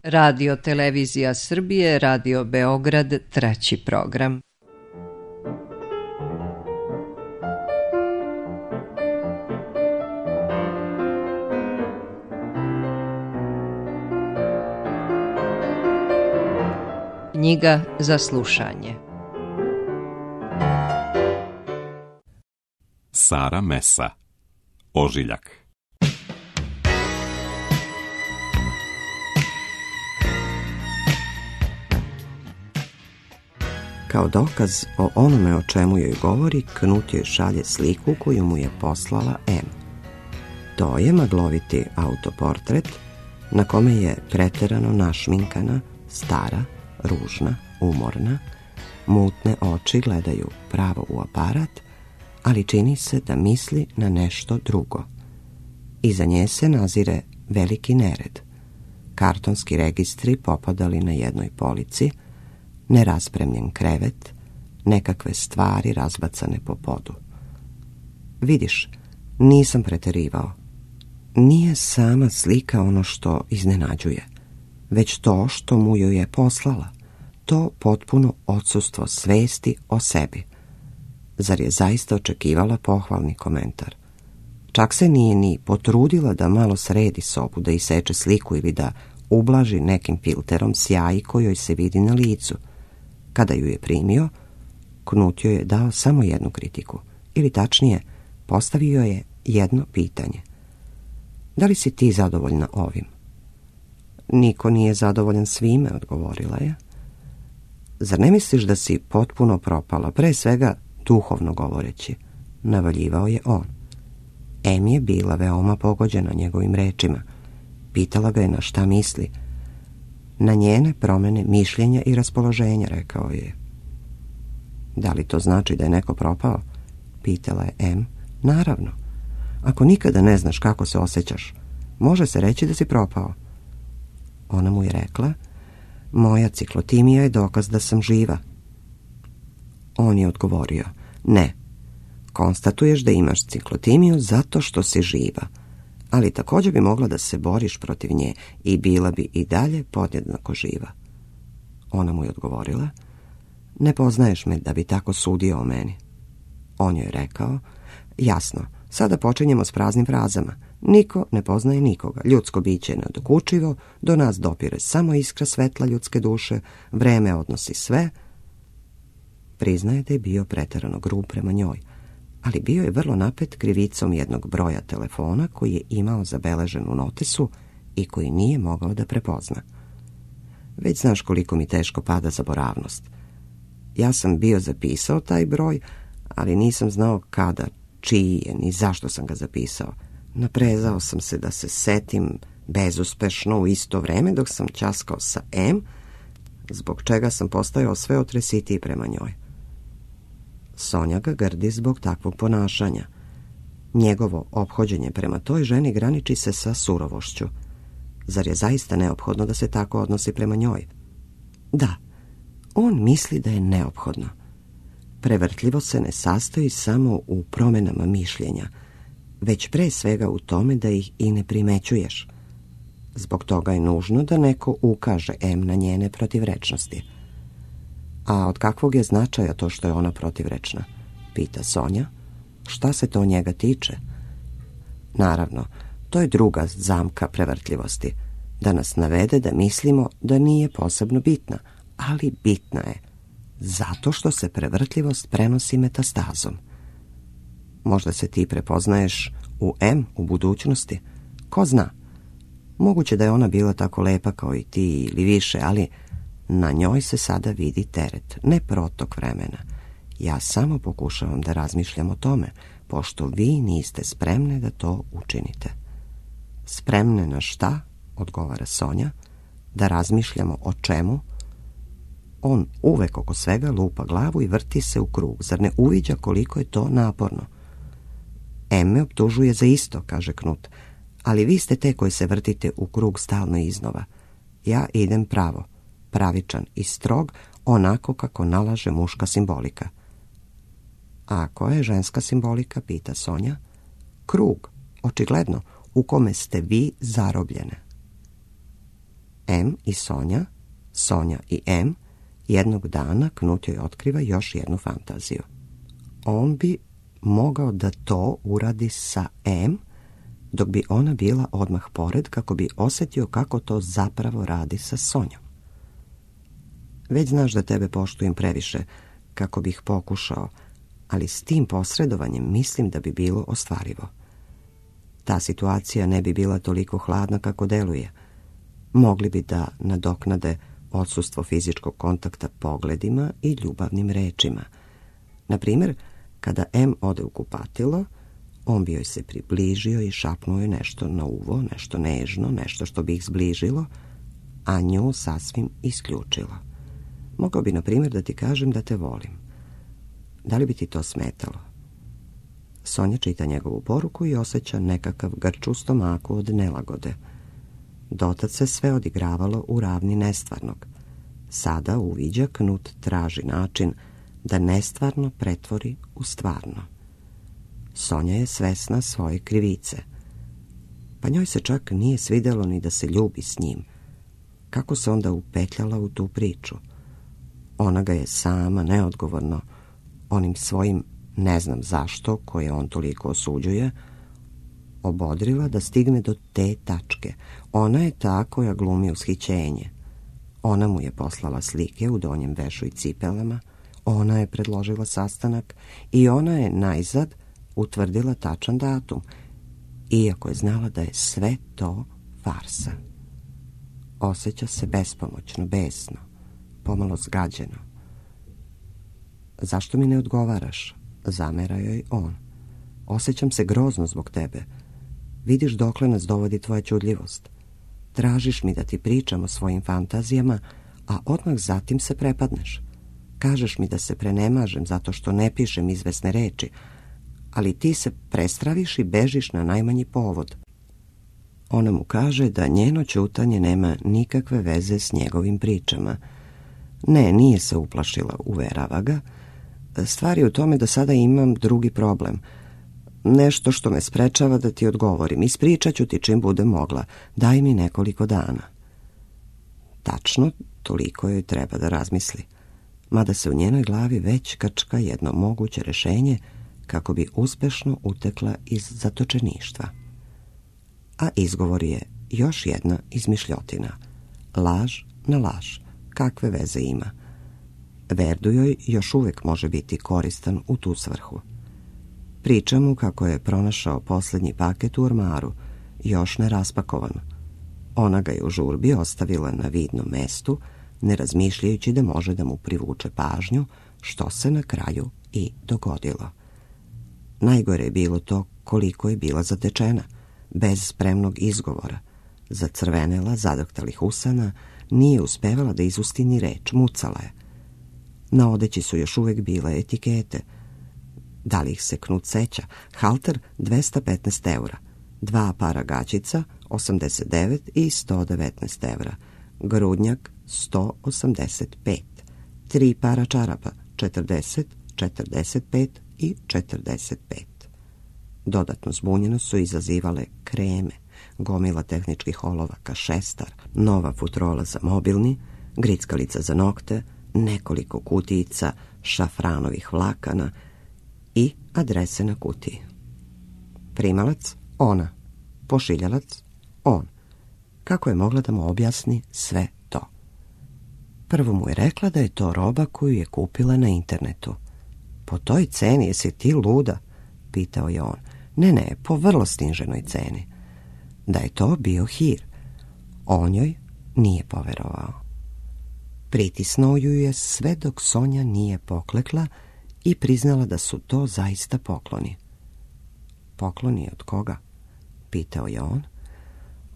Radio Televizija Srbije, Radio Beograd, treći program. Knjiga za slušanje. Sara Mesa, Ožiljak. Kao dokaz o onome o čemu joj govori, Knut joj šalje sliku koju mu je poslala M. To je magloviti autoportret na kome je preterano našminkana, stara, ružna, umorna, mutne oči gledaju pravo u aparat, ali čini se da misli na nešto drugo. Iza nje se nazire veliki nered. Kartonski registri popadali na jednoj polici, neraspremljen krevet, nekakve stvari razbacane po podu. Vidiš, nisam preterivao. Nije sama slika ono što iznenađuje, već to što mu joj je poslala, to potpuno odsustvo svesti o sebi. Zar je zaista očekivala pohvalni komentar? Čak se nije ni potrudila da malo sredi sobu, da iseče sliku ili da ublaži nekim filterom sjaji kojoj se vidi na licu. Kada ju je primio, Knut joj je dao samo jednu kritiku, ili tačnije, postavio je jedno pitanje. Da li si ti zadovoljna ovim? Niko nije zadovoljan svime, odgovorila je. Zar ne misliš da si potpuno propala, pre svega duhovno govoreći? Navaljivao je on. Em je bila veoma pogođena njegovim rečima. Pitala ga je na šta misli. Na njene promjene mišljenja i raspoloženja, rekao je. Da li to znači da je neko propao? Pitala je M. Naravno. Ako nikada ne znaš kako se osjećaš, može se reći da si propao. Ona mu je rekla, moja ciklotimija je dokaz da sam živa. On je odgovorio, ne. Konstatuješ da imaš ciklotimiju zato što si živa, ali također bi mogla da se boriš protiv nje i bila bi i dalje podjednako živa. Ona mu je odgovorila, ne poznaješ me da bi tako sudio o meni. On joj je rekao, jasno, sada počinjemo s praznim frazama. Niko ne poznaje nikoga. Ljudsko biće je nedokučivo, do nas dopire samo iskra svetla ljudske duše, vreme odnosi sve. Priznaje da je bio preterano grub prema njoj, ali bio je vrlo napet krivicom jednog broja telefona koji je imao zabeležen u notesu i koji nije mogao da prepozna. Već znaš koliko mi teško pada zaboravnost. Ja sam bio zapisao taj broj, ali nisam znao kada, čiji je, ni zašto sam ga zapisao. Naprezao sam se da se setim bezuspešno u isto vreme dok sam ćaskao sa M, zbog čega sam postajao sve otresitiji prema njoj. Sonja ga grdi zbog takvog ponašanja. Njegovo ophođenje prema toj ženi graniči se sa surovošću. Zar je zaista neophodno da se tako odnosi prema njoj? Da, on misli da je neophodno. Prevrtljivo se ne sastoji samo u promjenama mišljenja, već pre svega u tome da ih i ne primećuješ. Zbog toga je nužno da neko ukaže M na njene protivrečnosti. A od kakvog je značaja to što je ona protivrečna? Pita Sonja. Šta se to njega tiče? Naravno, to je druga zamka prevrtljivosti. Da nas navede da mislimo da nije posebno bitna, ali bitna je. Zato što se prevrtljivost prenosi metastazom. Možda se ti prepoznaješ u M u budućnosti. Ko zna? Moguće da je ona bila tako lepa kao i ti ili više, ali na njoj se sada vidi teret, ne protok vremena. Ja samo pokušavam da razmišljam o tome, pošto vi niste spremne da to učinite. Spremne na šta? Odgovara Sonja. Da razmišljamo o čemu? On uvek oko svega lupa glavu i vrti se u krug. Zar ne uviđa koliko je to naporno? M me optužuje za isto, kaže Knut, ali vi ste te koji se vrtite u krug stalno iznova. Ja idem pravo, pravičan i strog, onako kako nalaže muška simbolika. A koja je ženska simbolika, pita Sonja. Krug, očigledno, u kome ste vi zarobljene. M i Sonja, Sonja i M, jednog dana Knut joj otkriva još jednu fantaziju. On bi mogao da to uradi sa M, dok bi ona bila odmah pored, kako bi osjetio kako to zapravo radi sa Sonjom. Već znaš da tebe poštujem previše, kako bih pokušao, ali s tim posredovanjem mislim da bi bilo ostvarivo. Ta situacija ne bi bila toliko hladna kako deluje. Mogli bi da nadoknade odsustvo fizičkog kontakta pogledima i ljubavnim rečima. Na primjer, kada M ode u kupatilo, on bi joj se približio i šapnuo joj nešto na uvo, nešto nežno, nešto što bi ih zbližilo, a nju sasvim isključilo. Mogao bi, na primjer, da ti kažem da te volim. Da li bi ti to smetalo? Sonja čita njegovu poruku i osjeća nekakav grč u stomaku od nelagode. Dotad se sve odigravalo u ravni nestvarnog. Sada uviđa Knut traži način da nestvarno pretvori u stvarno. Sonja je svesna svoje krivice. Pa njoj se čak nije svidjelo ni da se ljubi s njim. Kako se onda upetljala u tu priču? Ona ga je sama, neodgovorno, onim svojim ne znam zašto, koje on toliko osuđuje, obodrila da stigne do te tačke. Ona je ta koja glumi ushićenje. Ona mu je poslala slike u donjem vešu i cipelama, ona je predložila sastanak i ona je najzad utvrdila tačan datum, iako je znala da je sve to farsa. Osjeća se bespomoćno, besno, pomalo zgađeno. Zašto mi ne odgovaraš? Zamera joj on. Osjećam se grozno zbog tebe. Vidiš dokle nas dovodi tvoja čudljivost. Tražiš mi da ti pričam o svojim fantazijama, a odmah zatim se prepadneš. Kažeš mi da se prenemažem zato što ne pišem izvesne reči, ali ti se prestraviš i bežiš na najmanji povod. Ona mu kaže da njeno ćutanje nema nikakve veze s njegovim pričama. Ne, nije se uplašila, uverava ga. Stvar je u tome da sada imam drugi problem. Nešto što me sprečava da ti odgovorim. Ispričat ću ti čim budem mogla. Daj mi nekoliko dana. Tačno, toliko joj treba da razmisli. Mada se u njenoj glavi već krčka jedno moguće rješenje kako bi uspešno utekla iz zatočeništva. A izgovor je još jedna izmišljotina. Laž na laž. Kakve veze ima? Verdu joj još uvijek može biti koristan u tu svrhu. Priča mu kako je pronašao posljednji paket u ormaru, još ne raspakovan. Ona ga je u žurbi ostavila na vidnom mestu, ne razmišljajući da može da mu privuče pažnju, što se na kraju i dogodilo. Najgore je bilo to koliko je bila zatečena, bez spremnog izgovora. Zacrvenela, zadrhtalih usana, nije uspevala da izusti ni reč, mucala je. Na odeći su još uvijek bile etikete. Da li ih se Knut seća? Halter 215 eura, 2 para gaćica 89 i 119 eura, grudnjak 185, 3 para čarapa 40, 45 i 45. Dodatno zbunjenost su izazivale kreme, gomila tehničkih olovaka, šestar, nova futrola za mobilni, grickalica za nokte, nekoliko kutijica šafranovih vlakana i adrese na kutiji. Primalac ona, pošiljalac on. Kako je mogla da mu objasni sve to? Prvo mu je rekla da je to roba koju je kupila na internetu. Po toj ceni jesi ti luda? Pitao je on. Ne, po vrlo sniženoj ceni. Da je to bio hir. On joj nije poverovao. Pritisnuo ju je sve dok Sonja nije poklekla i priznala da su to zaista pokloni. Pokloni od koga? Pitao je on.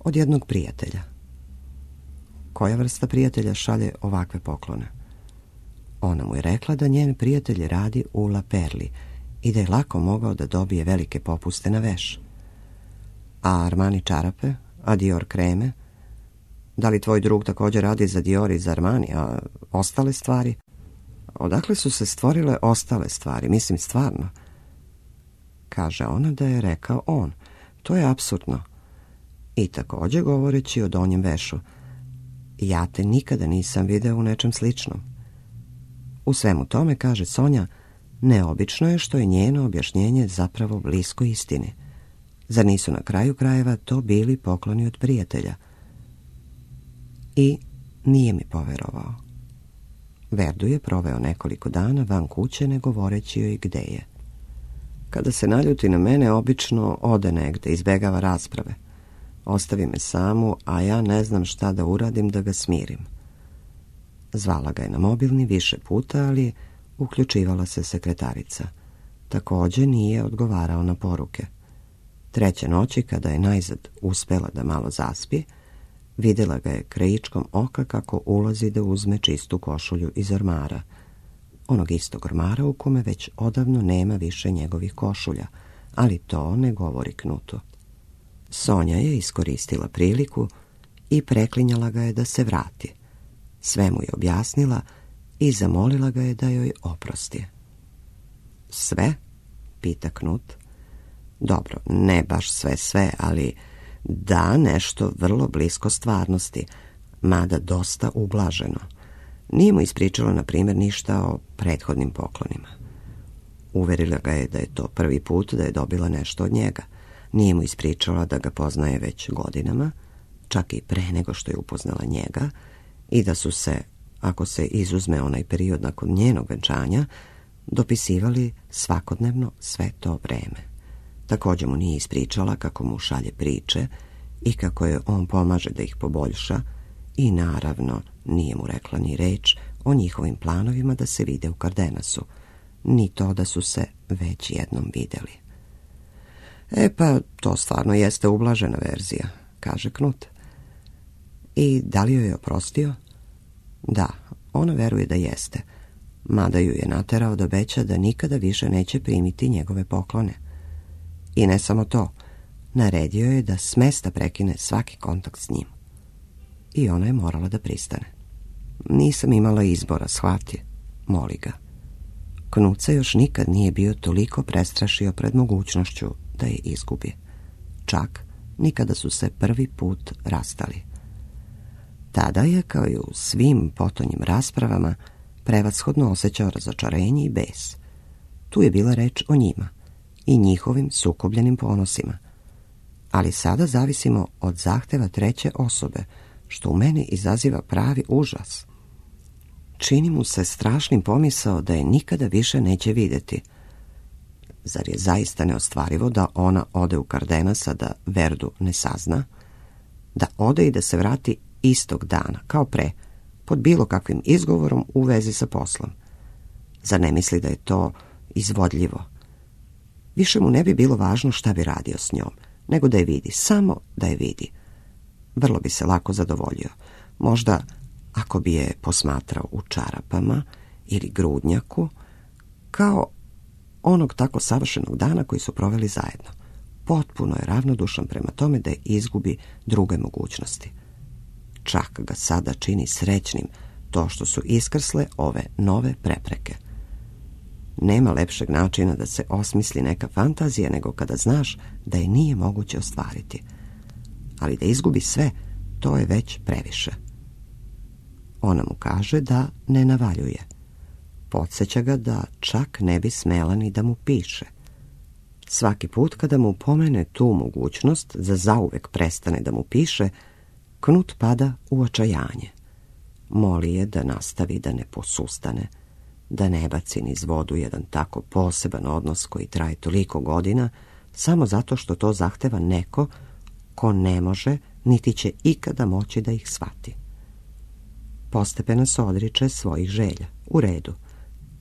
Od jednog prijatelja. Koja vrsta prijatelja šalje ovakve poklone? Ona mu je rekla da njen prijatelj radi u La Perli i da je lako mogao da dobije velike popuste na veš. A Armani čarape? A Dior kreme? Da li tvoj drug također radi za Dior i za Armani, a ostale stvari? Odakle su se stvorile ostale stvari? Mislim, stvarno. Kaže ona da je rekao on. To je apsurdno. I također govoreći o donjem vešu. ja te nikada nisam video u nečem sličnom. U svemu tome, kaže Sonja, neobično je što je njeno objašnjenje zapravo blisko istini. Zar nisu na kraju krajeva to bili pokloni od prijatelja? I nije mi poverovao. Verdu je proveo nekoliko dana van kuće ne govoreći joj gde je. Kada se naljuti na mene, obično ode negde, izbegava rasprave. Ostavi me samu, a ja ne znam šta da uradim da ga smirim. Zvala ga je na mobilni više puta, ali uključivala se sekretarica. Također nije odgovarao na poruke. Treće noći, kada je najzad uspela da malo zaspi, vidjela ga je krajičkom oka kako ulazi da uzme čistu košulju iz ormara. Onog istog ormara u kome već odavno nema više njegovih košulja, ali to ne govori Knutu. Sonja je iskoristila priliku i preklinjala ga je da se vrati. Sve mu je objasnila i zamolila ga je da joj oprosti. Sve? Pita Knut. Dobro, ne baš sve, ali da, nešto vrlo blisko stvarnosti, mada dosta ublaženo. Nije mu ispričala, na primjer, ništa o prethodnim poklonima. Uverila ga je da je to prvi put da je dobila nešto od njega. Nije mu ispričala da ga poznaje već godinama, čak i pre nego što je upoznala njega, i da su se, ako se izuzme onaj period nakon njenog venčanja, dopisivali svakodnevno sve to vreme. Također mu nije ispričala kako mu šalje priče i kako je on pomaže da ih poboljša, i naravno nije mu rekla ni reč o njihovim planovima da se vide u Cardenasu, ni to da su se već jednom vidjeli. Pa, to stvarno jeste ublažena verzija, kaže Knut. I da li joj je oprostio? Da, ona veruje da jeste, mada ju je naterao da obeća da nikada više neće primiti njegove poklone. I ne samo to, naredio je da s mesta prekine svaki kontakt s njim. I ona je morala da pristane. Nisam imala izbora, shvati, moli ga. Knut se još nikad nije bio toliko prestrašio pred mogućnošću da je izgubi. Čak nikada su se prvi put rastali. Tada je, kao i u svim potonjim raspravama, prevashodno osjećao razočarenje i bes. Tu je bila reč o njima i njihovim sukobljenim ponosima. Ali sada zavisimo od zahteva treće osobe, što u meni izaziva pravi užas. Čini mu se strašnim pomisao da je nikada više neće vidjeti. Zar je zaista neostvarivo da ona ode u Cardenasa, da Verdu ne sazna? Da ode i da se vrati istog dana, kao pre, pod bilo kakvim izgovorom u vezi sa poslom? Zar ne misli da je to izvodljivo? Više mu ne bi bilo važno šta bi radio s njom, nego da je vidi, samo da je vidi. Vrlo bi se lako zadovoljio. Možda ako bi je posmatrao u čarapama ili grudnjaku, kao onog tako savršenog dana koji su proveli zajedno. Potpuno je ravnodušan prema tome da je izgubi druge mogućnosti. Čak ga sada čini srećnim to što su iskrsle ove nove prepreke. Nema lepšeg načina da se osmisli neka fantazija nego kada znaš da je nije moguće ostvariti. Ali da izgubi sve, to je već previše. Ona mu kaže da ne navaljuje. Podsjeća ga da čak ne bi smela ni da mu piše. Svaki put kada mu pomene tu mogućnost, za zauvek prestane da mu piše, Knut pada u očajanje. Moli je da nastavi, da ne posustane, da ne baci niz vodu jedan tako poseban odnos koji traje toliko godina, samo zato što to zahteva neko ko ne može, niti će ikada moći da ih shvati. Postepeno se odriče svojih želja. U redu.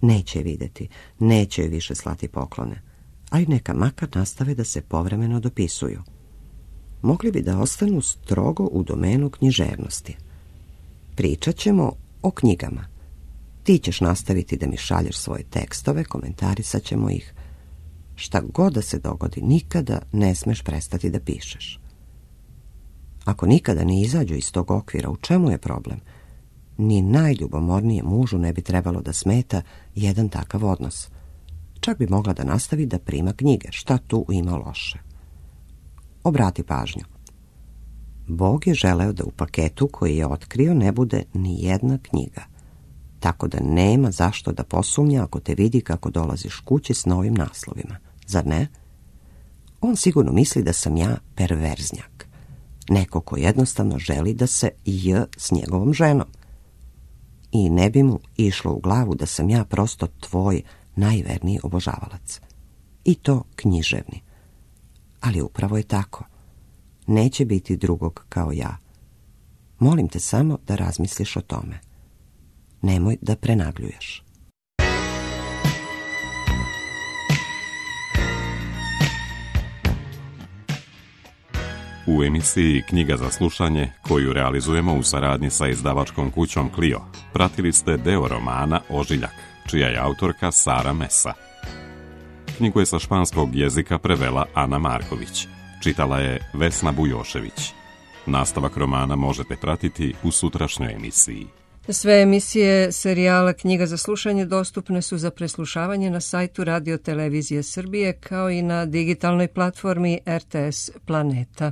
Neće je vidjeti, neće joj više slati poklone, ali neka makar nastave da se povremeno dopisuju. Mogli bi da ostanu strogo u domenu književnosti. Pričat ćemo o knjigama. Ti ćeš nastaviti da mi šalješ svoje tekstove, komentarisat ćemo ih. Šta god da se dogodi, nikada ne smeš prestati da pišeš. Ako nikada ne izađu iz tog okvira, u čemu je problem? Ni najljubomornije mužu ne bi trebalo da smeta jedan takav odnos. Čak bi mogla da nastavi da prima knjige, šta tu ima loše. Obrati pažnju. Bog je želeo da u paketu koji je otkrio ne bude ni jedna knjiga. Tako da nema zašto da posumnja ako te vidi kako dolaziš kući s novim naslovima. Zar ne? On sigurno misli da sam ja perverznjak. Neko ko jednostavno želi da se s njegovom ženom. I ne bi mu išlo u glavu da sam ja prosto tvoj najverniji obožavalac. I to književni. Ali upravo je tako. Neće biti drugog kao ja. Molim te samo da razmisliš o tome. Nemoj da prenagljuješ. U emisiji Knjiga za slušanje, koju realizujemo u saradnji sa izdavačkom kućom Clio, pratili ste deo romana Ožiljak, čija je autorka Sara Mesa. Knjigu je sa španskog jezika prevela Ana Marković. Čitala je Vesna Bujošević. Nastavak romana možete pratiti u sutrašnjoj emisiji. Sve emisije serijala Knjiga za slušanje dostupne su za preslušavanje na sajtu Radio Televizije Srbije kao i na digitalnoj platformi RTS Planeta.